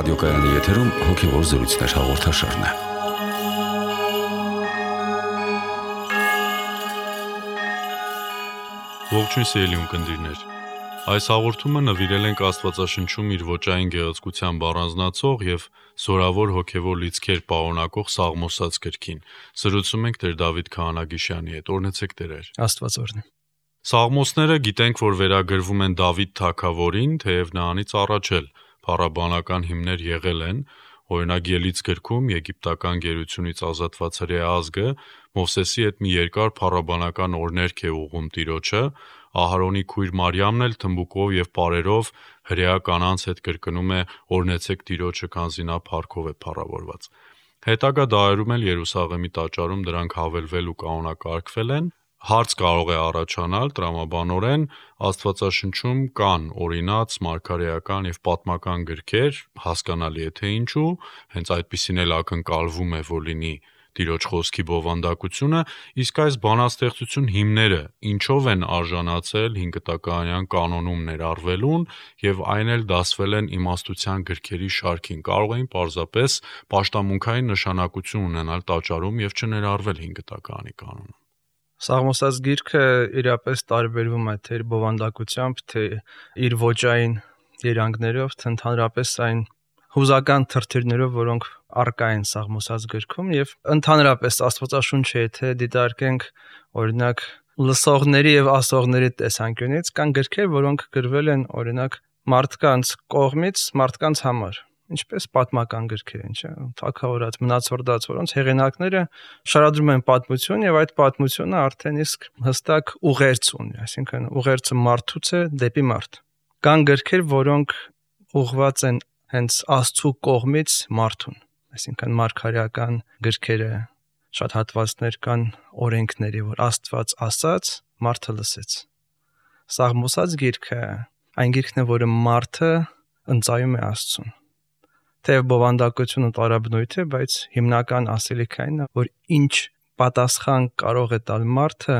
Ռադիոկայանի եթերում հոգևոր զրույցներ հաղորդաշարն է։ Ողջույն սիրելի ունկնդիրներ։ Այս հաղորդումը նվիրել ենք Աստվածաշնչում իր ոճային գեղեցկությամբ առանձնացող եւ զորավոր հոգևոր լիցքեր պարունակող Սաղմոսաց գրքին։ Զրուցում ենք Տեր Դավիթ Քահանագիշյանի հետ։ Օրհնեցեք Տերեր։ Աստված օրհնի։ Սաղմոսները գիտենք, որ վերագրվում են Դավիթ թագավորին, թեև նրանից առաջ էլ փառաբանական հիմներ եղել են, օրինակ Ելից գրքում եգիպտական գերությունից ազատված հրեա ազգը Մովսեսի հետ մի երկար փառաբանական օրհներգ է ուղղում Տիրոջը, Ահարոնի քույր Մարիամն էլ թմբուկով եւ պարերով հրեա կանանց հետ կրկնում է օրհնեցեք Տիրոջը, քանզի նա փառքով է փառավորված։ Հետագա դարերում էլ Երուսաղեմի տաճարում դրանք հավելվել ու կանոնակարգվել են։ Հարց կարող է առաջանալ տրամաբանորեն Աստվածաշնչում կան օրինաց մարգարեական եւ պատմական գրքեր, հասկանալի է թե ինչու, հենց այդպիսին էլ ակնկալվում է, որ լինի Տիրոջ խոսքի բովանդակությունը, իսկ այս բանաստեղծություն հիմները ինչով են արժանացել 5 տակարանյան կանոնում ներառվելուն եւ այն էլ դասվել են իմաստության գրքերի շարքին, կարող էին պարզապես պաշտամունքային նշանակություն ունենալ տաճարում եւ չներառվել 5 տակարանի կանոնում։ Սաղմոսաց գիրքը իրապես տարբերվում է թե իր բովանդակությամբ, թե իր ոճային երանգներով, թե ընդհանրապես այն հուզական թրթիրներով, որոնք առկա են Սաղմոսաց գրքում եւ ընդհանրապես Աստվածաշունչը, եթե դիտարկենք օրինակ լսողների եւ ասողների տեսանկյունից, կան գրքեր, որոնք գրվել են օրինակ մարդկանց կողմից, մարդկանց համար, ինչպես պատմական գրքեր են, չէ՞, թագավորած, մնացորդած, որոնց հեղինակները շարադրում են պատմություն եւ այդ պատմությունը արդեն իսկ հստակ ուղերձ ունի, այսինքն ուղերձը մարդուց է դեպի մարդ։ Կան գրքեր, որոնք ուղղված են հենց Աստծո կողմից մարդուն, այսինքն մարգարեական գրքերը, շատ հատվածներ կան օրենքների, որ Աստված ասաց, մարդը լսեց։ Սաղմոսաց գիրքը այն գիրքն է, որը մարդը ընծայում է Աստծուն։ Թեև բովանդակությունը տարաբնույթ է, բայց հիմնական ասելիքն այն է, որ ինչ պատասխան կարող է տալ մարդը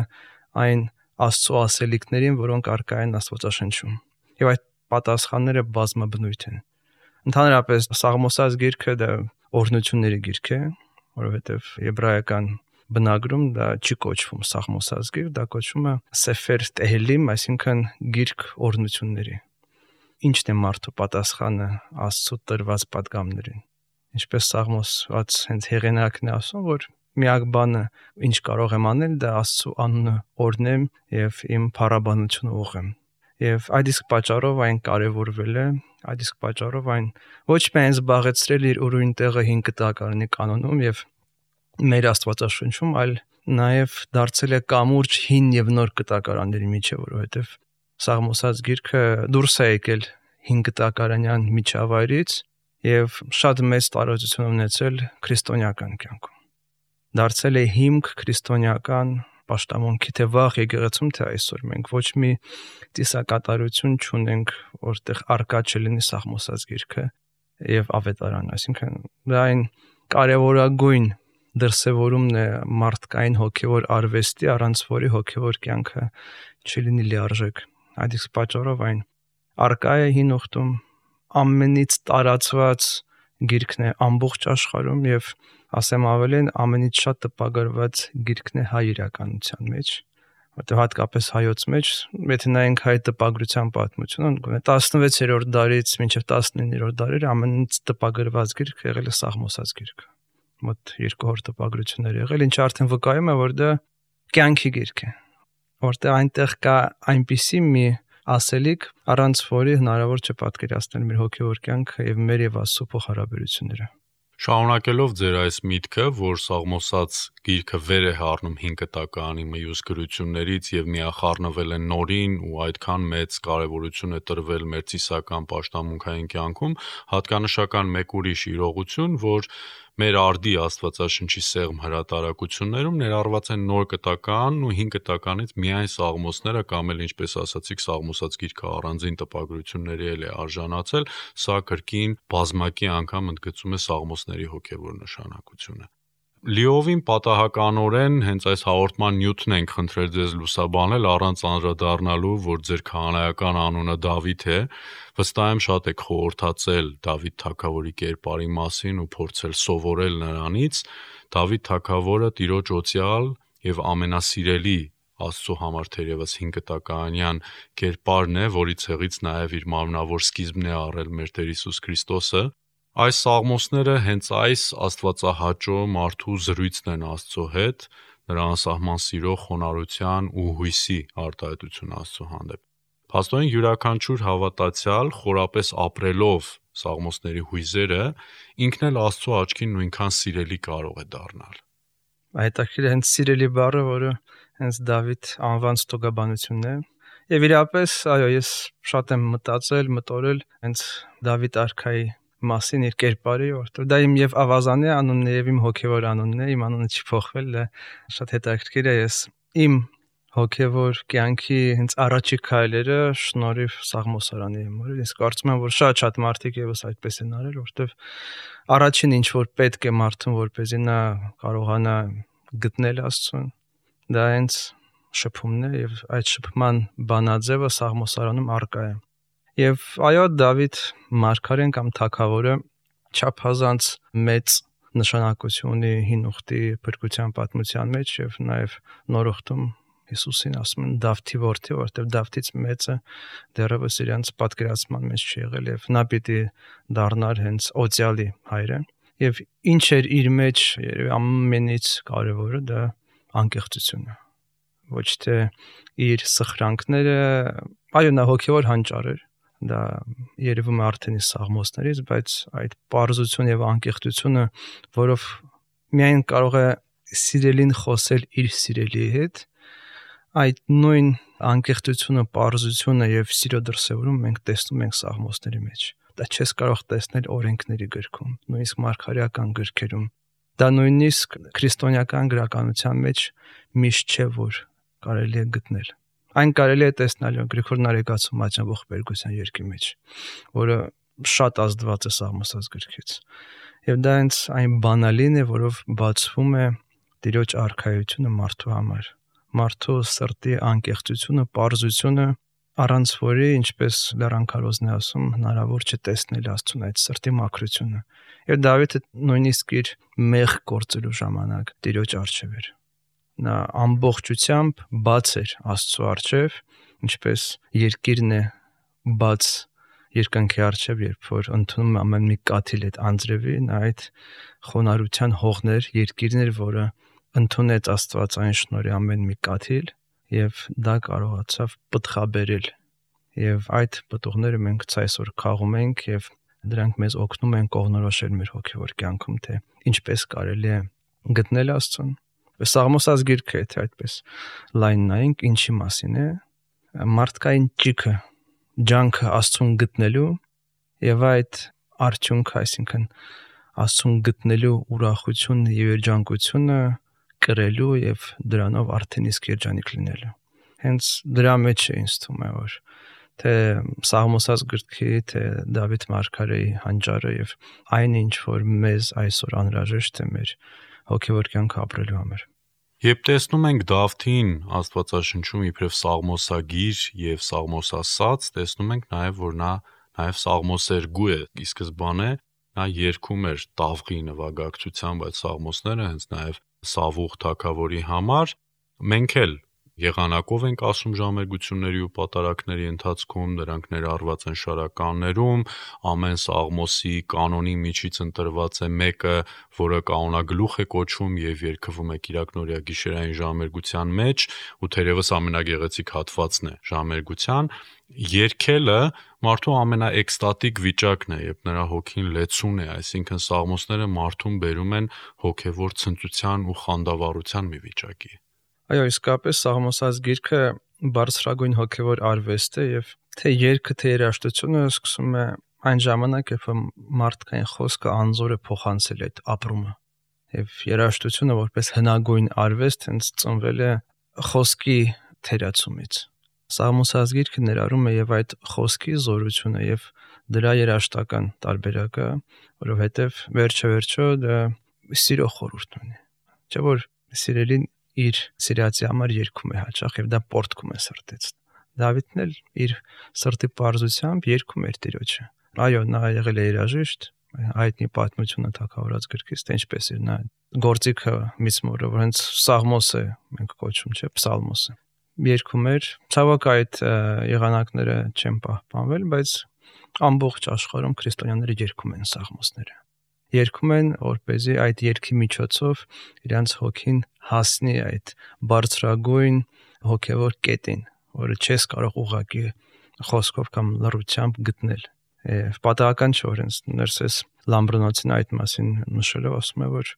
այն Աստծո ասելիքներին, որոնք առկա են Աստվածաշնչում։ Եվ այդ պատասխանները բազմաբնույթ են։ Ընդհանրապես Սաղմոսաց գիրքը դա օրհնությունների գիրք է, որովհետև եբրայական բնագրում դա չի կոչվում Սաղմոսաց գիրք, դա կոչվում է Սեֆեր Տեհիլիմ, այսինքն գիրք օրհնությունների։ Ինչն է մարդու պատասխանը Աստծո տրված պատգամներին։ Ինչպես Սաղմոսված հենց հեղինակն է ասում, որ միակ բանը, ինչ կարող եմ անել, դա Աստծո անունը օրհնեմ եւ իմ փառաբանությունը ուղղեմ։ Եվ այդ իսկ պատճառով այն կարևորվել է, այդ իսկ պատճառով այն ոչ միայն զբաղեցրել իր ուրույն տեղը 5 տակարանի կանոնում եւ մեր Աստվածաշնչում, այլ նաեւ դարձել է կամուրջ հին եւ նոր կտակարանների միջև, որովհետեւ Սաղմոսաց գիրքը դուրս է եկել 5 տակարանյան միջավայրից եւ շատ մեծ տարածություն ունեցել քրիստոնեական կյանքում։ Դարձել է հիմք քրիստոնեական պաշտամունքի թե վաղ եկեղեցում, թե այսօր մենք ոչ մի ծիսակատարություն չունենք, որտեղ առկա չլինի Սաղմոսաց գիրքը եւ ավետարանը, այսինքն դա այն կարևորագույն դրսևորումն է մարդկային հոգեվոր արվեստի, առանց որի հոգեվոր կյանքը չլինի լիարժեք։ Այդ իսկ պատճառով այն առկա է հին ուխտում, ամենից տարածված գիրքն է ամբողջ աշխարհում եւ ասեմ ավելին, ամենից շատ տպագրված գիրքն է հայ իրականության մեջ, որտեղ հատկապես հայոց մեջ, եթե նայենք հայ տպագրության պատմությունը, 16-րդ դարից մինչև 19-րդ դարերը ամենից տպագրված գիրքը եղել է Սաղմոսաց գիրքը։ Մոտ 200 տպագրություններ եղել, ինչը արդեն վկայում է, որ դա կյանքի գիրք է, որտեղ այնտեղ կա այնպիսի մի ասելիք, առանց որի հնարավոր չէ պատկերացնել մեր հոգևոր կյանքը եւ մեր եւ Աստծո փոխհարաբերությունները։ Շարունակելով ձեր այս միտքը, որ Սաղմոսաց գիրքը վեր է հառնում 5 տակարանի մյուս գրություններից եւ միախառնվել է նորին ու այդքան մեծ կարեւորություն է տրվել մեր ծիսական պաշտամունքային կյանքում, հատկանշական մեկ ուրիշ իրողություն, որ մեր արդի Աստվածաշնչի սեղմ հրատարակություններում ներառված են նոր կտականն ու 5 տականից միայն Սաղմոսները կամ էլ ինչպես ասացիք Սաղմոսաց գիրքը առանձին տպագրությունների էլ է արժանացել, սա կրկին բազմակի անգամ ընդգծում է Սաղմոսների հոգևոր նշանակությունը։ Լիովին պատահականորեն հենց այս հաղորդման նյութն ենք խնդրել ձեզ լուսաբանել առանց անդրադառնալու, որ ձեր քահանայական անունը Դավիթ է, վստահ եմ շատ եք խորհրդածել Դավիթ թագավորի կերպարի մասին ու փորձել սովորել նրանից։ Դավիթ թագավորը Տիրոջ օծյալ եւ ամենասիրելի Աստծո համար թերևս 5 տականյան կերպարն է, որի ցեղից նաև իր մարմնավոր սկիզբն է առել մեր Տեր Հիսուս Քրիստոսը։ Այս սաղմոսները հենց այս աստվածահաճո մարդու զրույցն են Աստծո հետ, նրա անսահման սիրո, խոնարհության ու հույսի արտահայտություն Աստծո հանդեպ։ Փաստորեն յուրաքանչյուր հավատացյալ խորապես ապրելով սաղմոսների հույզերը ինքն էլ Աստծո աչքին նույնքան սիրելի կարող է դառնալ։ Հետաքրքիր հենց սիրելի բառը, որը հենց Դավիթ անվան ստուգաբանությունն է։ Եվ իրապես, այո, ես շատ եմ մտորել հենց Դավիթ արքայի մասին իր կերպարի, որտեղ դա իմ եւ ավազանի անունն է եւ իմ հոգեվոր անունն է, իմ անունը չի փոխվել, դա շատ հետաքրքիր է։ Ես իմ հոգեվոր կյանքի հենց առաջի քայլերը շնորհիվ Սաղմոսարանի եմ արել։ Ես կարծում եմ, որ շատ մարդիկ եւս այդպես են արել, որտեղ առաջին ինչ որ պետք է մարդուն, որպեսզի նա կարողանա գտնել Աստծուն, դա հենց շփումն է եւ այդ շփման բանաձևը Սաղմոսարանում առկա է։ Եվ այո, Դավիթ մարգարեն կամ թագավորը չափազանց մեծ նշանակություն ունի հին ուխտի փրկության պատմության մեջ եւ նաեւ նոր ուխտում Հիսուսին ասում են Դավթի որդի, որտեղ Դավթից մեծը դեռևս իրանց պատկերացման մեջ չի եղել եւ նա պիտի դառնար հենց օծյալի հայրը։ Եվ ինչ էր իր մեջ երևի ամենից կարևորը դա անկեղծությունը։ Ոչ թե իր սխրանքները, այո, նա հոգեվոր հանճար էր, դա երևում է արդեն իսկ սաղմոսներից, բայց այդ պարզություն եւ անկեղծությունը, որով միայն կարող է սիրելին խոսել իր սիրելիի հետ, այդ նույն անկեղծությունը, պարզությունը եւ սիրո դրսեւորումը մենք տեսնում ենք սաղմոսների մեջ։ Դա չես կարող տեսնել օրենքների գրքում, նույնիսկ մարգարեական գրքերում։ Դա նույնիսկ քրիստոնեական գրականության մեջ միշտ չէ, որ կարելի է գտնել։ Այն կարելի է տեսնել Գրիգոր Նարեկացու Մատյանի Բերգության երգի մեջ, որը շատ ազդված է Սաղմոսած գրքից։ Եվ դա հենց այն բանալին է, որով բացվում է Տիրոջ արքայությունը մարդու համար։ Մարդու սրտի անկեղծությունը, պարզությունը, առանց որի, ինչպես Լեռան Քարոզն է ասում, հնարավոր չէ տեսնել Աստծուն այդ սրտի մաքրությունը։ Եվ Դավիթը նույնիսկ իր մեղ գործելու ժամանակ Տիրոջ առջև էր։ Նա ամբողջությամբ բաց էր Աստծո առջև, ինչպես երկիրն է բաց երկնքի առջև, երբ որ ընդունում ամեն մի կաթիլ այդ անձրևի, նա այդ խոնարհության հողներ, երկիրն էր, որը ընդունեց Աստվածային շնորհի ամեն մի կաթիլ եւ դա կարողացավ պտղաբերել։ Եվ այդ պտուղները մենք այսօր քաղում ենք եւ դրանք մեզ օգնում են կողնորոշել մեր հոգեվոր կյանքում, թե ինչպես կարելի է գտնել Աստծուն։ Սաղմոսած գիրքը, եթե այդպես լայն նայենք, ինչի մասին է, մարդկային ճիգը, ջանքը Աստծուն գտնելու եւ այդ արդյունքը, այսինքն Աստծուն գտնելու ուրախությունը եւ երջանկությունը կրելու եւ դրանով արդեն իսկ երջանիկ լինելու։ Հենց դրա մեջ է ինձ թվում է, որ թե Սաղմոսած գրքի, թե Դավիթ մարգարեի հանճարը եւ այն ինչ որ մեզ այսօր անհրաժեշտ է մեր հոգեվոր կյանքը ապրելու համար։ Երբ տեսնում ենք Դավթին Աստվածաշնչում իբրև սաղմոսագիր եւ սաղմոսասաց, տեսնում ենք նաեւ որ նա նաեւ սաղմոսերգու է։ Ի սկզբանե նա երգում էր տավղի նվագակցությամբ այդ սաղմոսները, հենց նաեւ Սավուղ թագավորի համար։ Մենք էլ եղանակով ենք ասում ժամերգությունների ու պատարակների ընթացքում, դրանք ներառված են շարականներում, ամեն սաղմոսի կանոնի միջից ընտրված է մեկը, որը կանոնագլուխ է կոչվում եւ երգվում է Կիրակնօրյա գիշերային ժամերգության մեջ, ու թերևս ամենագեղեցիկ հատվածն է ժամերգության։ Երգելը մարդու ամենաէքստատիկ վիճակն է, երբ նրա հոգին լեցուն է, այսինքն սաղմոսները մարդուն բերում են հոգեվոր ցնծության ու խանդավառության մի վիճակի։ Այո, իսկապես Սաղմոսած գիրքը բարձրագույն հոգեվոր արվեստ է եւ թե երգը, թե երաժշտությունը սկսում է այն ժամանակ, երբ մարդկային խոսքը անզոր է փոխանցել այդ ապրումը։ Եվ երաժշտությունը որպես հնագույն արվեստ հենց ծնվել է խոսքի թերացումից։ Սաղմոսած գիրքը ներառում է եւ այդ խոսքի զորությունը եւ դրա երաժշտական տարբերակը, որովհետեւ վերջը դա սիրո խորհուրդ ունի։ Չէ՞ որ սիրելին իր սիրածի համար երգում է հաճախ եւ դա պորտքում է սրտից։ Դավիթն էլ իր սրտի պարզությամբ երգում էր Տիրոջը։ Այո, նա եղել է երաժիշտ, հայտնի պատմությունը թագավորած գրքից, թե ինչպես էր նա գործիքը միսմորը, որ հենց Սաղմոս է մենք կոչում, չէ՞, Պսալմոսը։ Երգում էր, ցավոք այդ եղանակները չեն պահպանվել, բայց ամբողջ աշխարհում քրիստոնյաները երգում են Սաղմոսները։ Երգում են, որպեսզի այդ երգի միջոցով իրանց հոգին հասնի այդ բարձրագույն հոգևոր կետին, որը չես կարող ուղղակի խոսքով կամ լռությամբ գտնել։ Եվ պատահական չէ, որ հենց Ներսես Լամբրոնոցին այդ մասին նշելով ասում է, որ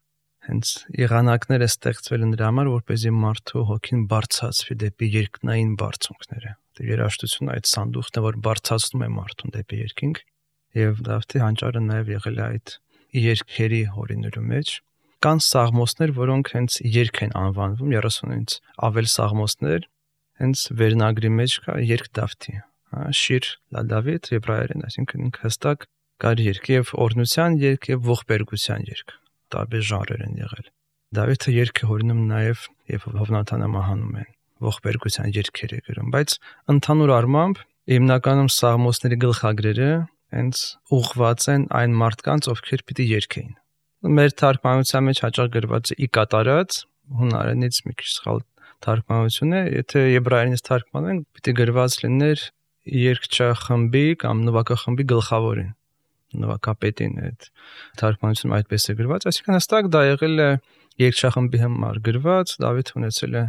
հենց եղանակները ստեղծվել են դրա համար, որպեսզի մարդու հոգին բարձրացվի դեպի երկնային բարձունքները։ Երաժշտությունը այդ սանդուղքն է, որ բարձրացնում է մարդուն դեպի երկինք, եւ Դավթի հանճարը նաեւ եղել է այդ երգերի հորիներու մեջ։ Կան սաղմոսներ, որոնք հենց երգ են անվանվում, 30-ից ավել սաղմոսներ, հենց վերնագրի մեջ կա երգ Դավթի, շիր լա Դավիթ եբրայերեն, այսինքն ինքը հստակ կար երգ եւ օրհնության երգ եւ ողբերգության երգ, տարբեր ժանրեր են եղել։ Դավիթը երգ է հորինում նաեւ եւ Հովնաթանը մահանում են, ողբերգության երգեր է գրում, բայց ընդհանուր առմամբ հիմնականում սաղմոսների գլխագրերը հենց ուղղված են այն մարդկանց, ովքեր պիտի երգեին։ Մեր թարգմանության մեջ հաճախ գրված է ի կատարած, հունարենից մի քիչ սխալ թարգմանություն է, եթե եբրայերենից թարգմանեն, պիտի գրված լիներ երգչախմբի կամ նվագախմբի գլխավորին, նվագապետին այդ թարգմանությունում այդպես է գրված, այսինքն հստակ դա եղել է երգչախմբի համար գրված, Դավիթ ունեցել է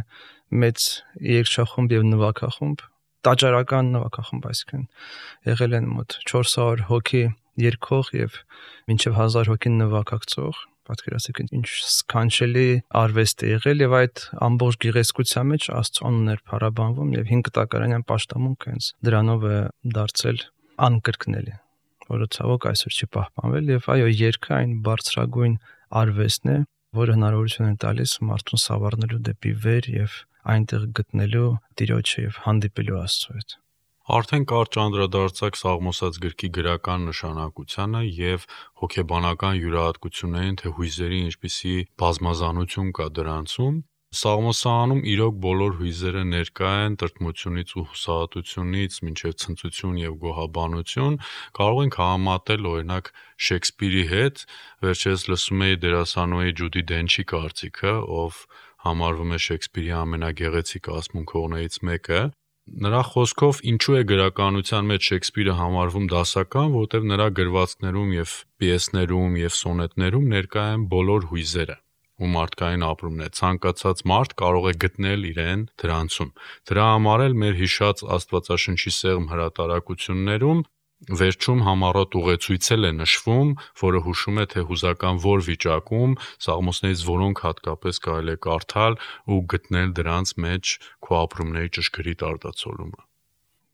մեծ երգչախումբ եւ նվագախումբ, տաճարական նվագախումբ, այսինքն եղել են մոտ 400 հոգի երգող եւ մինչեւ 1000 հոգի նվագակցող, պատկերացրեք ինչ սքանչելի արվեստ է եղել եւ այդ ամբողջ գեղեցկության մեջ Աստծո անունն էր փառաբանվում եւ 5 տակարանյան պաշտամունք հենց դրանով է դարձել անկրկնելի, որը ցավոք այսօր չի պահպանվել եւ այո, երգը այն բարձրագույն արվեստն է, որը հնարավորություն է տալիս մարդուն սավառնելու դեպի վեր եւ այնտեղ գտնելու Տիրոջը եւ հանդիպելու Աստծո հետ։ Արդեն կարճ անդրադարձակ Սաղմոսած գրքի գրական նշանակությանը եւ հոգեբանական յուրահատկություններին, թե հույզերի ինչպիսի բազմազանություն կա դրանցում։ Սաղմոսանում իրոք բոլոր հույզերը ներկա են տրտմությունից ու հուսահատությունից մինչև ցնծություն եւ գոհաբանություն, կարող ենք համատել օրինակ Շեքսպիրի հետ, վերջերս լսում էի դերասանուհի Ջուդի Դենչի կարծիքը, ով համարվում է Շեքսպիրի ամենագեղեցիկ ասմունքողներից մեկը։ Նրա խոսքով ինչու է գրականության մեջ Շեքսպիրը համարվում դասական, որտեղ նրա գրվածքներում եւ պիեսներում եւ սոնետներում ներկա են բոլոր հույզերը ու մարդկային ապրումն է, ցանկացած մարդ կարող է գտնել իրեն դրանցում։ Դրա համար էլ մեր հիշած Աստվածաշնչի սեղմ հրատարակություններում վերջում համառոտ ուղեցույցել է նշվում, որը հուշում է, թե հուզական որ վիճակում սաղմոսներից որոնք հատկապես կարելի է կարդալ ու գտնել դրանց մեջ քո ապրումների ճշգրիտ արտացոլումը։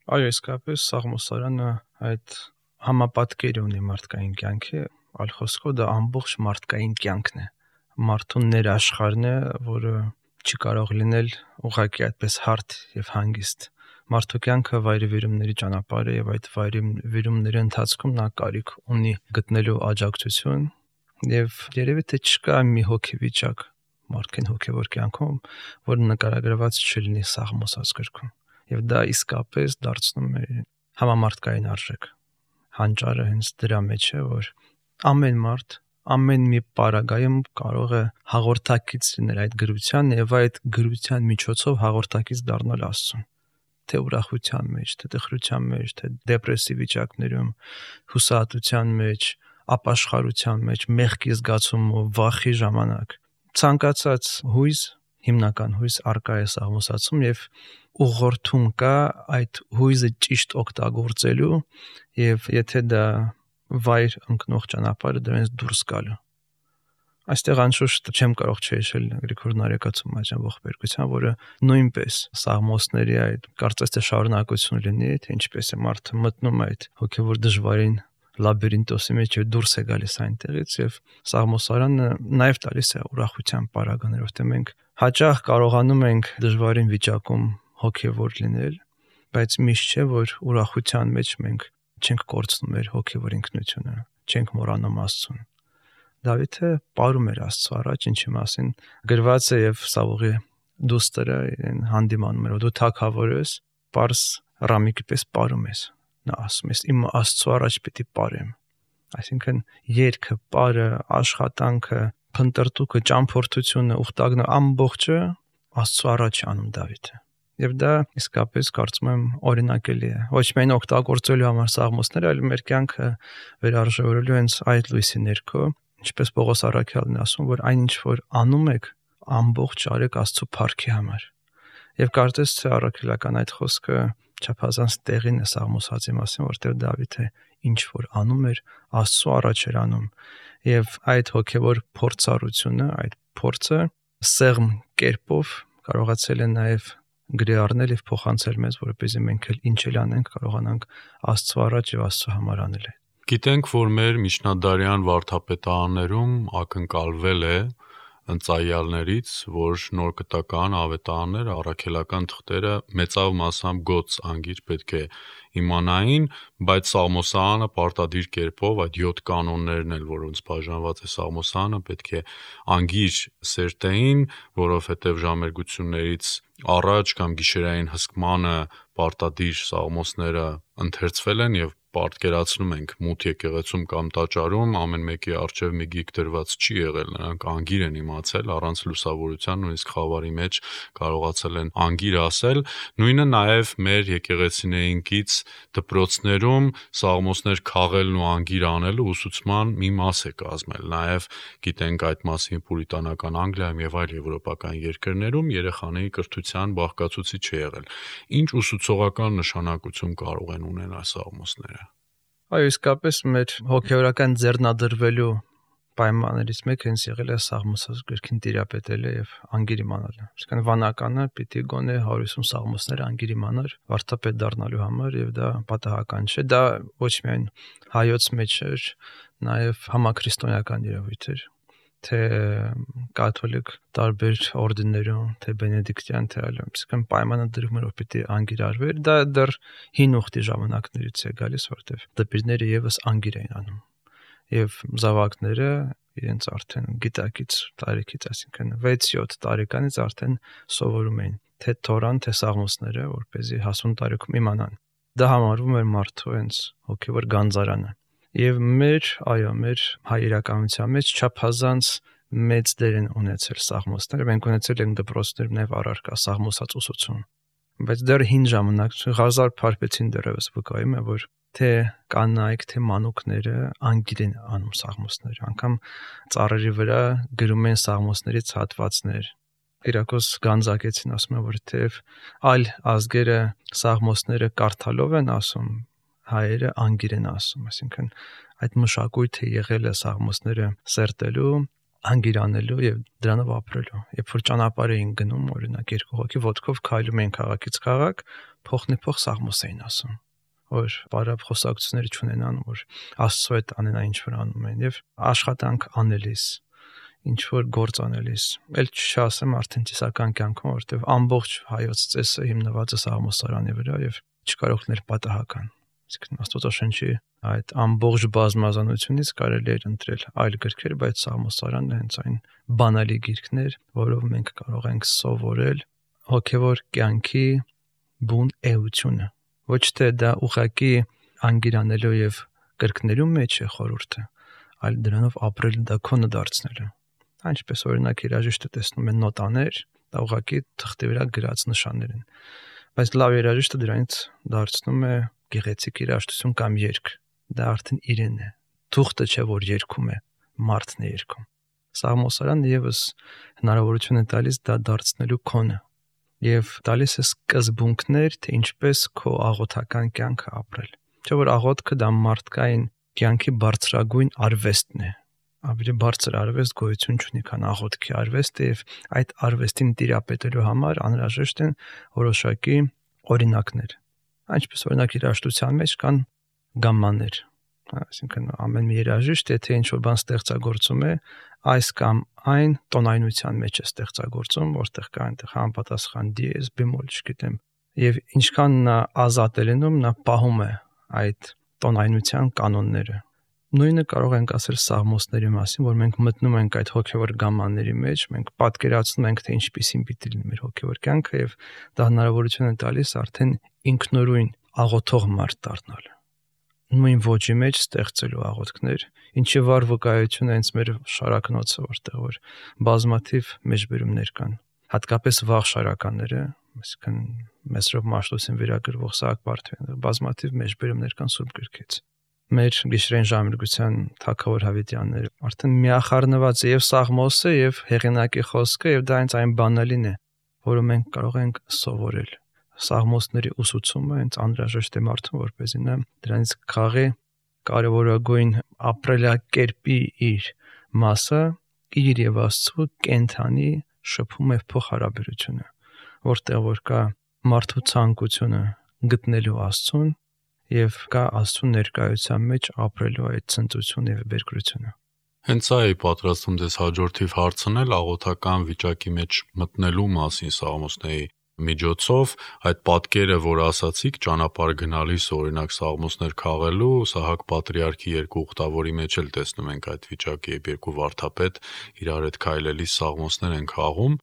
Այո, իսկապես Սաղմոսարանը այդ համապատկերը ունի մարդկային կյանքի, այլ խոսքով դա ամբողջ մարդկային կյանքն է։ Մարդուն ներաշխարհն է, որը չի կարող լինել ուղղակի այդպես հարթ եւ հանգիստ։ Մարդու կյանքը վայրիվերումների ճանապարհ է եւ այդ վայրիվերումների ընթացքում նա կարիք ունի գտնելու աջակցություն եւ երևի թե չկա մի հոգեվիճակ մարդկային հոգեվոր կյանքում, որ նկարագրված չլինի Սաղմոսած գրքում։ Եվ դա իսկապես դարձնում է համամարտկային արժեք։ Հանճարը հենց դրա մեջ է, որ ամեն մարդ ամեն մի պարագայում կարող է հաղորդակից լինել այդ գրության եւ այդ գրության միջոցով հաղորդակից դառնալ Աստծուն։ Թե ուրախության մեջ, թե տխրության մեջ, թե դեպրեսիվ վիճակներում, հուսահատության մեջ, ապաշխարության մեջ, մեղքի զգացումով, վախի ժամանակ։ Ցանկացած հույզ, հիմնական հույզ արկա է Սաղմոսացում եւ ուղղորդում կա այդ հույզը ճիշտ օգտագործելու եւ եթե դա վայր ընկնող ճանապարհը դրանից դուրս գալու։ Այստեղ անշուշտ չեմ կարող չհիշել Գրիգոր Նարեկացու այժմ ողբերգության, որը նույնպես Սաղմոսների այդ կարծես թե շարունակություն լինի, թե ինչպես է մարդը մտնում այդ հոգևոր դժվարին լաբիրինտոսի մեջ եւ դուրս է գալիս այնտեղից եւ Սաղմոսարանը նաեւ տալիս է ուրախության պարագաներ, որտեղ մենք հաճախ կարողանում ենք դժվարին վիճակում հոգևոր լինել, բայց միշտ չէ, որ ուրախության մեջ մենք չենք կորցնում մեր հոգևոր ինքնությունը, չենք մոռանում Աստծուն։ Դավիթը պարում էր Աստծո առաջ, ինչի մասին գրված է եւ Սավուղի դուստրը հանդիմանում էր, դու թագավոր ես, պարզ ռամիկի պես պարում ես։ Նա ասում է, իմ Աստծո առաջ պիտի պարեմ։ Այսինքն երգը, պարը, աշխատանքը, փնտրտուքը, ճամփորդությունը, ուխտագնը ամբողջը Աստծո առաջ անում Դավիթը։ Եվ դա իսկապես կարծում եմ օրինակելի է։ Ոչ միայն օգտագործելու համար սաղմոսները, այլ մեր կյանքը վերարժևորելու հենց այդ լույսի ներքո, ինչպես Պողոս առաքյալն է ասում, որ այնինչ որ անում եք, ամբողջ արեք Աստծո փառքի համար։ Եվ կարծես թե առաքելական այդ խոսքը չափազանց տեղին է սաղմոսացի մասին, որտեղ Դավիթը ինչ որ անում էր, Աստծո առաջ էր անում։ Եվ այդ հոգևոր փորձառությունը, այդ փորձը սեղմ կերպով կարողացել է նաև գրի առնել եւ փոխանցել մեզ, որպեսզի մենք էլ ինչ էլ անենք, կարողանանք Աստծո առաջ եւ Աստծո համար անել։ Գիտենք, որ մեր միջնադարյան վարդապետարաններում ակնկալվել է ընծայալներից, որ նոր կտական ավետարանները, առաքելական թղթերը մեծավ մասամբ գոց անգիր պետք է իմանային, բայց Սաղմոսարանը պարտադիր կերպով այդ 7 կանոններն էլ, որոնց բաժանված է Սաղմոսարանը, պետք է անգիր սերտեին, որովհետև ժամերգություններից առաջ կամ գիշերային հսկմանը պարտադիր սաղմոսները ընթերցվել են եւ պատկերացնում ենք մութ եկեղեցում կամ տաճարում ամեն մեկի առջև մի գիք դրված չի եղել, նրանք անգիր են իմացել առանց լուսավորության, նույնիսկ խավարի մեջ կարողացել են անգիր ասել։ Նույնը նաև մեր եկեղեցիներինքից դպրոցներում սաղմոսներ քաղելն ու անգիր անելը ուսուցման մի մաս է կազմել։ Նաև գիտենք այդ մասին պուրիտանական Անգլիայում եւ այլ եվրոպական երկրներում երեխաների կրթության բաղկացուցիչ է եղել։ Ինչ ուսուցողական նշանակություն կարող են ունենալ սաղմոսները։ Այո, իսկապես մեր հոգեորական ձեռնադրվելու պայմաններից մեկը հենց եղել է Սաղմոս գրքին տիրապետելը եւ անգիր իմանալը։ Իսկական վանականը պիտի գոնե 150 սաղմոսներ անգիր իմանար վարդապետ դառնալու համար եւ դա պատահական չէ։ Դա ոչ միայն հայոց մեջ էր, նաեւ համաքրիստոնեական երևույթ էր, թե կաթոլիկ տարբեր օրդիներում, թե բենեդիկտյան, թե այլն։ Իսկական պայմանը դրվում էր, որ պիտի անգիր արվեր։ Դա դեռ հին ուխտի ժամանակներից է գալիս, որտեղ դպիրները եւս անգիր էին անում։ Եվ զավակները իրենց արդեն գիտակից տարիքից, այսինքն 6-7 տարեկանից արդեն սովորում էին թե Թորան, թե Սաղմոսները, որպեսզի հասուն տարիքում իմանան։ Դա համարվում էր մարդու հենց հոգևոր գանձարանը։ Եվ մեր հայրականության մեջ չափազանց մեծ դեր են ունեցել սաղմոսները, մենք ունեցել ենք դպրոցներում նաև առարկա սաղմոսած ուսուցում, բայց դեռ հին ժամանակ հազար փարպեցին դեռևս վկայում է, որ թե կանայք, թե մանուկները անգիր են անում սաղմոսներ, անգամ ծառերի վրա գրում են սաղմոսներից հատվածներ։ Կիրակոս Գանձակեցին ասում է, որ թեև այլ ազգերը սաղմոսները կարդալով են ասում, հայերը անգիր են ասում, այսինքն այդ մշակույթը եղել է սաղմոսները սերտելու, անգիր անելու եւ դրանով ապրելու։ Երբ որ ճանապարհ էին գնում, օրինակ երկու հոգի ոտքով քայլում էին քաղաքից քաղաք, փոխնեփոխ սաղմոս էին ասում, որ բարապ խոսակցություններ չունենան, որ Աստծո հետ անեն ինչ որ անում են եւ աշխատանք անելիս, ինչ որ գործ անելիս, ել չասեմ արդեն ծիսական կյանքում, որտեղ ամբողջ հայոց ծեսը հիմնված է սաղմոսարանի վրա եւ չկարող լինել պատահական։ Իսկ Աստվածաշնչի այդ ամբողջ բազմազանությունից կարելի էր ընտրել այլ գրքեր, բայց Սաղմոսարանը հենց այն բանալի գիրքներ, որով մենք կարող ենք սովորել հոգևոր կյանքի բուն էությունը։ Ոչ թե դա ուղղակի անգիրանելու եւ կրկնելու մեջ է խորհուրդը, այլ դրանով ապրել դա քոնը դարձնելու։ Այնպես օրինակ երաժիշտը տեսնում է նոտաներ, դա ուղղակի թղթի վրա գրած նշաններ են, բայց լավ երաժիշտը դրանից դարձնում է գեղեցիկ երաժշտություն կամ երգ, դա արդեն իրեն է։ Թուղթը չէ, որ երգում է, մարդն է երգում։ Սաղմոսարանը եւս հնարավորություն է տալիս դա դարձնելու քոնը եւ տալիս է սկզբունքներ, թե ինչպես քո աղոթական կյանքը ապրել։ Չէ՞ որ աղոթքը դա մարդկային կյանքի բարձրագույն արվեստն է։ Ավելի բարձր արվեստ գոյություն չունի, քան աղոթքի արվեստը եւ այդ արվեստին տիրապետելու համար անհրաժեշտ են որոշակի օրինակներ։ Այնպես օրինակ երաժշտության մեջ կան գամմաներ, այսինքն ամեն մի երաժիշտ եթե ինչ-որ բան ստեղծագործում է, այս կամ այն տոնայնության մեջ է ստեղծագործում, որտեղ կա այնտեղ համապատասխան դիեզ, բեմոլ, չգիտեմ, եւ ինչքան նա ազատ է լինում, նա պահում է այդ տոնայնության կանոնները։ Նույնը կարող ենք ասել սաղմոսների մասին, որ մենք մտնում ենք այդ հոգևոր գամմանների մեջ, մենք պատկերացնում ենք, թե ինչպիսին պիտի լինի մեր հոգևոր կյանքը եւ դա հնարավորություն է տալիս արդեն ինքնուրույն աղոթող մարդ դառնալ։ Նույն ոճի մեջ ստեղծելու աղոթքներ, ինչի վառ վկայություն է հենց մեր շարակնոցը, որտեղ որ բազմաթիվ մեջբերումներ կան, հատկապես վաղ շարականները, այսինքն Մեսրոպ Մաշտոցին վերագրվող Սահակ Բարթոյանը, բազմաթիվ մեջբերումներ կան Սուրբ գրքից։ Մեր գիշերային ժամերգության թագավոր Հավիտյանները արդեն միախառնված է եւ Սաղմոսը եւ հեղինակի խոսքը եւ դա հենց այն բանալին է, որը մենք կարող ենք սովորել։ Սաղմոսների ուսուցումը հենց անհրաժեշտ է մարդուն, որպեսզի նա դրանից քաղի կարևորագույն ապրելակերպի իր մասը իր եւ Աստծո կենթանի շփում եւ փոխհարաբերությունը, որտեղ որ կա մարդու ցանկությունը գտնելու Աստծուն եւ կա Աստծո ներկայության մեջ ապրելու այդ ցնծությունը եւ բերկրությունը։ Հենց սա է պատրաստում ձեզ հաջորդիվ հարցնել աղոթական վիճակի մեջ մտնելու մասին Սաղմոսների միջոցով, այդ պատկերը, որ ասացիք, ճանապարհ գնալիս օրինակ Սաղմոսներ քաղելու, Սահակ Պատրիարքի երկու ուխտավորի մեջ էլ տեսնում ենք այդ վիճակը, երբ երկու վարդապետ իրար հետ քայլելիս Սաղմոսներ են քաղում,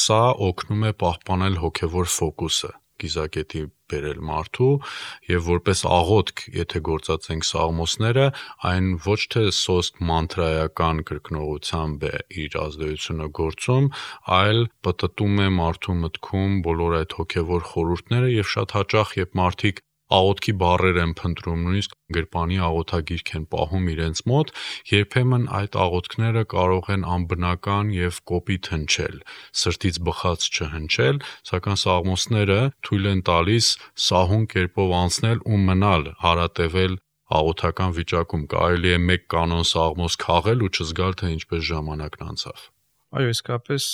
սա օգնում է պահպանել հոգևոր ֆոկուսը կիզակետի բերել մարդու եւ որպես աղոթք, եթե գործածենք Սաղմոսները, այն ոչ թե սոսկ մանտրայական կրկնողությամբ է իր ազդեցությունը գործում, այլ պտտում է մարդու մտքում բոլոր այդ հոգևոր խորհուրդները եւ շատ հաճախ, երբ մարդիկ աղոթքի բառեր են փնտրում, նույնիսկ գրպանի աղոթագիրք են պահում իրենց մոտ, երբեմն այդ աղոթքները կարող են անբնական եւ կոպիտ հնչել, սրտից բխած չհնչել, սակայն Սաղմոսները թույլ են տալիս սահուն կերպով անցնել ու մնալ, հարատևել աղոթական վիճակում, կարելի է մեկ կանոն Սաղմոս քաղել ու չզգալ, թե ինչպես ժամանակն անցավ։ Այո, իսկապես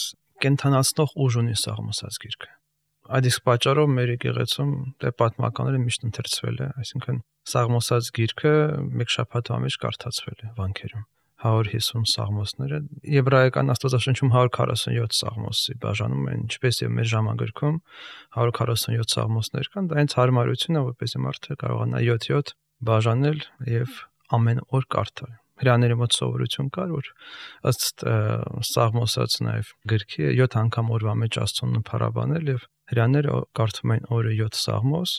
կենթանացնող ուժ ունի Սաղմոսած գիրքը։ Այդ իսկ պատճառով մեր եկեղեցում դե պատմականները միշտ ընթերցվել է, այսինքն Սաղմոսած գիրքը մեկ շաբաթվա մեջ կարդացվել է վանքերում։ 150 սաղմոսները, եբրայական Աստվածաշնչում 147 սաղմոսի բաժանում են, ինչպես եւ մեր ժամագրքում 147 սաղմոսներ կան, դա հենց հարմարություն է, որպեսզի մարդը կարողանա 7-7 բաժանել եւ ամեն օր կարդալ։ Հրաների մոտ սովորություն կար, որ ըստ Սաղմոսած նաեւ գրքի 7 անգամ օրվա մեջ Աստծուն փառաբանել եւ հրաները կարդում են օրը 7 սաղմոս,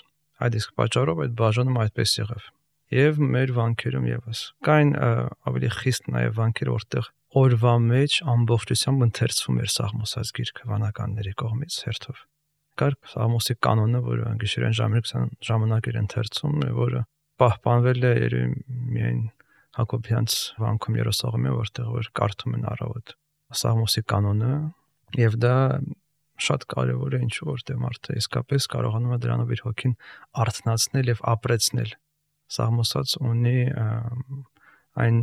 այդ իսկ պատճառով այդ բաժանում այդպես եղավ։ Եվ մեր վանքերում եւս կային ավելի խիստ նաեւ վանքեր, որտեղ օրվա մեջ ամբողջությամբ ընթերցվում էր Սաղմոսած գիրքը վանականների կողմից հերթով։ Կար Սաղմոսի կանոնը, որը գիշերային ժամերգության ժամանակ էր ընթերցում, որը պահպանվել է միայն Հակոբյանց վանքում Երուսաղեմում, որտեղ որ կարդում են առավոտ Սաղմոսի կանոնը, եւ դա շատ կարևոր է, ինչու որտեղ մարդը իսկապես կարողանում է դրանով իր հոգին արթնացնել եւ ապրեցնել։ Սաղմոսած ունի այն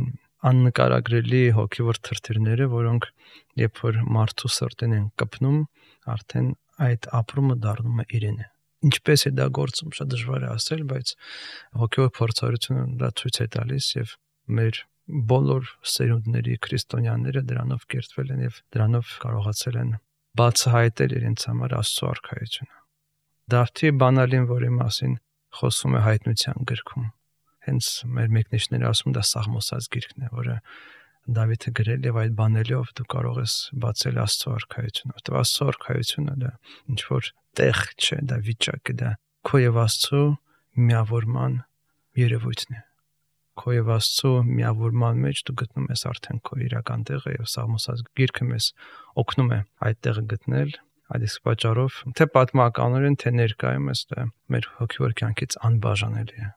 աննկարագրելի հոգևոր թրթիրները, որոնք երբ որ մարդու սրտին են կպնում, արդեն այդ ապրումը դառնում է իրենը։ Ինչպես է դա գործում, շատ դժվար է ասել, բայց հոգևոր փորձառությունը դա ցույց է տալիս եւ մեր բոլոր սերունդների քրիստոնյաները դրանով կերտվել են եւ դրանով կարողացել են բացահայտել իրենց համար Աստծո արքայությունը։ Դավթի բանալին, որի մասին խոսում է հայտնության գրքում, հենց մեր մեկնիչները ասում դա Սաղմոսած գիրքն է, որը Դավիթը գրել եւ այդ բանելով դու կարող ես բացել Աստծո արքայությունը։ Որտեղ Աստծո արքայությունը դա ինչ որ տեղ չէ, դա վիճակ է, դա քո եւ Աստծո միավորման երևույթն է։ Քո եւ Աստծո միավորման մեջ դու գտնում ես արդեն քո իրական տեղը եւ Սաղմոսած գիրքը մեզ օգնում է այդ տեղը գտնել։ Այդ իսկ պատճառով թե պատմականորեն, թե ներկայումս դա մեր հոգևոր կյանքից անբաժանելի է։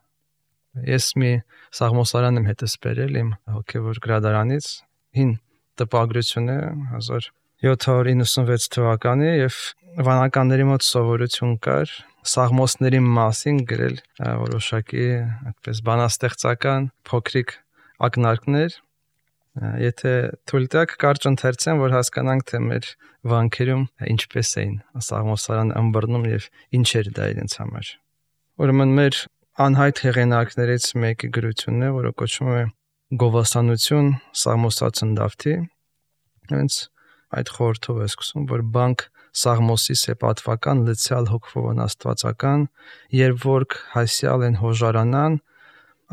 Ես մի Սաղմոսարան եմ հետս բերել իմ հոգևոր գրադարանից, հին տպագրություն է 1796 թվականի եւ վանականների մոտ սովորություն կար Սաղմոսների մասին գրել որոշակի այդպես բանաստեղծական փոքրիկ ակնարկներ։ Եթե թույլ տաք կարճ ընթերցեմ, որ հասկանանք թե մեր վանքերում ինչպես էին Սաղմոսարանը ըմբռնում եւ ինչ էր դա իրենց համար։ Ուրեմն մեր անհայտ հեղինակներից մեկի գրությունն է, որը կոչվում է Գովասանություն Սաղմոսածն Դավթի։ Հենց այդ խորհրդով է սկսում, որ բանկ Սաղմոսի սեպատվական լցյալ հոգվոն աստվածական, երբ որք հասյալ են հոժարանան,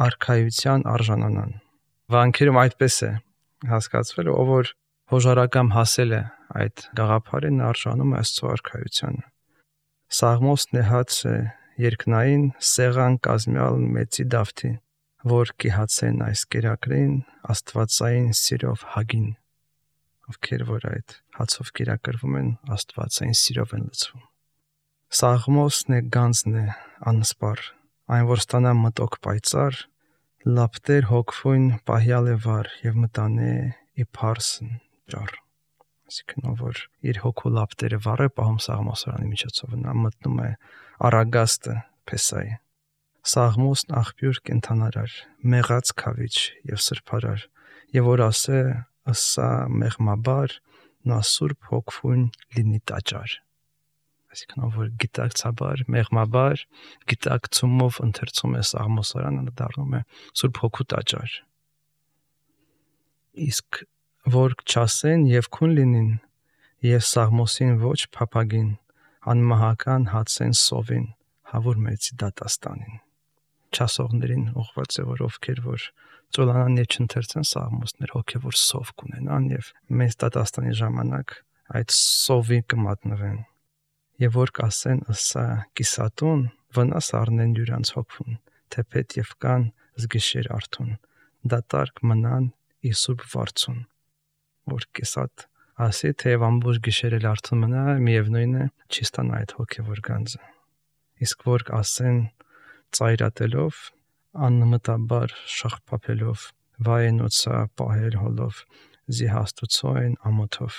արքայության արժանանան։ Վանքերում այդպես է հասկացվել, ով որ հոժարակամ հասել է այդ գաղափարին, արժանում է Աստծո արքայությանը։ Սաղմոս նեհաց է երկնային սեղան կազմյալ մեծի դավթի, որ կիհացեն այս կերակրին աստվածային սիրով հագին, ովքեր որ այդ հացով կերակրվում են, աստվածային սիրով են լցվում։ Սաղմոսն է գանձն է անսպար, այն որ ստանա մտոք պայծառ, լապտեր հոգվույն պահյալ է վար եւ մտանե ի փարսն ճար։ Այսինքն ով որ իր հոգու լապտերը վառ է պահում Սաղմոսարանի միջոցով, նա մտնում է Արագաստը Փեսայի։ Սաղմոսն աղբյուր կենթանարար, մեղած քավիչ եւ սրբարար, եւ որ ասե ըսա մեղմաբար, նա սուրբ հոգվույն լինի տաճար։ Այսինքն ով որ գիտակցաբար, մեղմաբար, գիտակցումով ընթերցում է Սաղմոսարանը, դառնում է Սուրբ Հոգու տաճար։ Իսկ որ չասեն եւ քուն լինին, եւ Սաղմոսին ոչ փափագին, անմահական հացեն սովին, հավուր մեծի դատաստանին։ Չասողներին ուղղված է, որ ովքեր որ ծոլանան եւ չընթերցեն Սաղմոսներ, հոգեվոր սով կունենան եւ մեծ դատաստանի ժամանակ այդ սովի կմատնվեն։ Եվ որ կասեն ըսա կիսատուն, վնաս առնեն յուրանց հոգուն, թեպետ եւ կան զգիշեր արթուն, դատարկ մնան ի սուրբ վարձուն։ Որ կիսատ ասի, թեև ամբողջ գիշեր էլ արթուն մնա, միևնույն է, չի ստանա այդ հոգեվոր գանձը։ Իսկ որ ասեն ծայրատելով, անմտաբար շաղփափելով, վայենոցա պահել հոլով, զիհաստուցոյն ամոթով։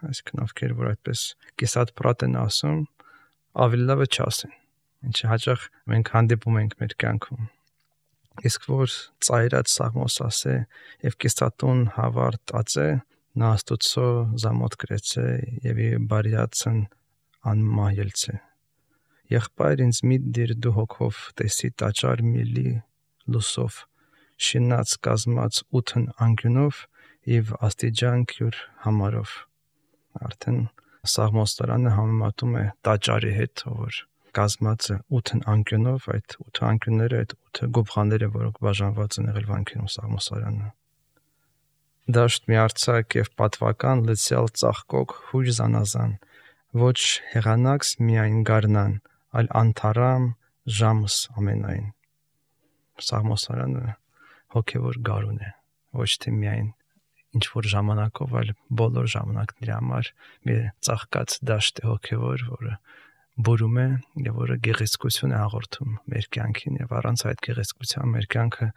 Այսինքն ովքեր որ այդպես կիսատ պրատ են ասում, ավելի լավ է չասեն, ինչը հաճախ մենք հանդիպում ենք մեր կյանքում։ Իսկ որ ծայրած Սաղմոս ասե եւ կիսատուն հավարտ ածե, նա Աստուծո զամոթ գրեցե եւ բարյացն անմահելցե։ Եղբայր ինձ մի դիր դու հոգով տեսի տաճար միլի լուսով, շինած կազմած 8 անկյունով եւ աստիճան քյուր համարով։ Արդեն Սաղմոսարանը համեմատում է տաճարի հետ, որ կազմած է 8 անկյունով, այդ 8 անկյունները, այդ 8 գոբխաները, որոնք բաժանված են եղել վանքերում Սաղմոսարանը։ Դաշտ միարցակ եւ պատվական լցյալ ծաղկոք հույր զանազան, ոչ հեղանակս միայն գարնան, այլ անթարամ ժամս ամենայն։ Սաղմոսարանը հոգեվոր գարուն է, ոչ թե միայն ինչ որ ժամանակով, այլ բոլոր ժամանակների համար մի ծաղկած դաշտ է հոգևոր, որը բուրում է եւ որը գեղեցկություն է հաղորդում մեր կյանքին եւ առանց այդ գեղեցկության մեր կյանքը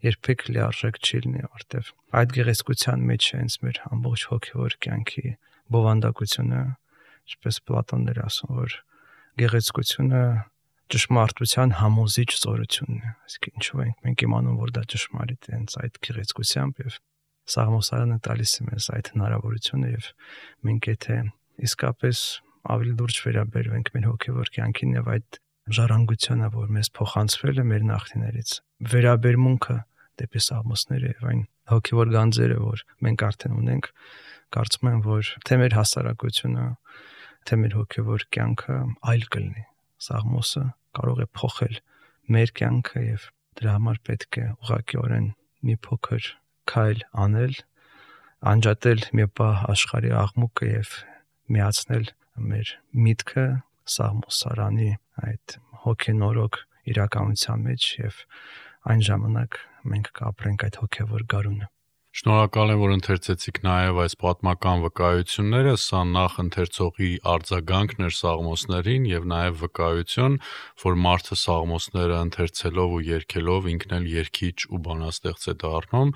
երբեք լիարժեք չի լինի, որտեւ այդ գեղեցկության մեջ է հենց մեր ամբողջ հոգևոր կյանքի բովանդակությունը, ինչպես Պլատոնն էր ասում, որ գեղեցկությունը ճշմարտության համոզիչ զորությունն է։ Այսինքն ինչու ենք մենք իմանում, որ դա ճշմարիտ է, հենց այդ գեղեցկությամբ եւ Սաղմոսարանը տալիս է մեզ այդ հնարավորությունը եւ մենք եթե իսկապես ավելի լուրջ վերաբերվենք մեր հոգևոր կյանքին եւ այդ ժառանգությանը, որ մեզ փոխանցվել է մեր նախնիներից, վերաբերմունքը դեպի Սաղմոսները եւ այն հոգևոր գանձերը, որ մենք արդեն ունենք, կարծում եմ, որ թե մեր հասարակությունը, թե մեր հոգևոր կյանքը այլ կլինի։ Սաղմոսը կարող է փոխել մեր կյանքը եւ դրա համար պետք է ուղղակիորեն մի փոքր քայլ անել, անջատել մի պահ աշխարհի աղմուկը եւ միացնել մեր միտքը Սաղմոսարանի այդ հոգենորոգ իրականության մեջ եւ այն ժամանակ մենք կապրենք այդ հոգեվոր գարունը։ Շնորհակալ եմ, որ ընթերցեցիք նաև այս պատմական վկայությունները, սա նախ ընթերցողի արձագանքն էր Սաղմոսներին եւ նաև վկայություն, որ մարդը Սաղմոսները ընթերցելով ու երգելով ինքն էլ երգիչ ու բանաստեղծ է դառնում։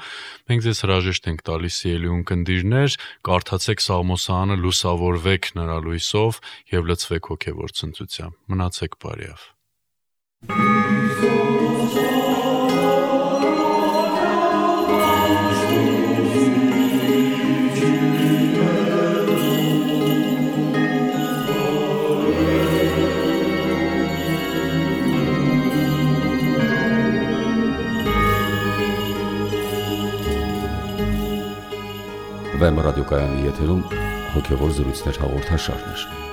Մենք ձեզ հրաժեշտ ենք տալիս սիրելի ունկնդիրներ, կարդացեք Սաղմոսարանը, լուսավորվեք նրա լույսով եւ լցվեք հոգեվոր ցնծությամբ։ Մնացեք բարյավ։ Վեմ ռադիոկայանի եթերում հոգևոր զրույցներ հաղորդաշարներ։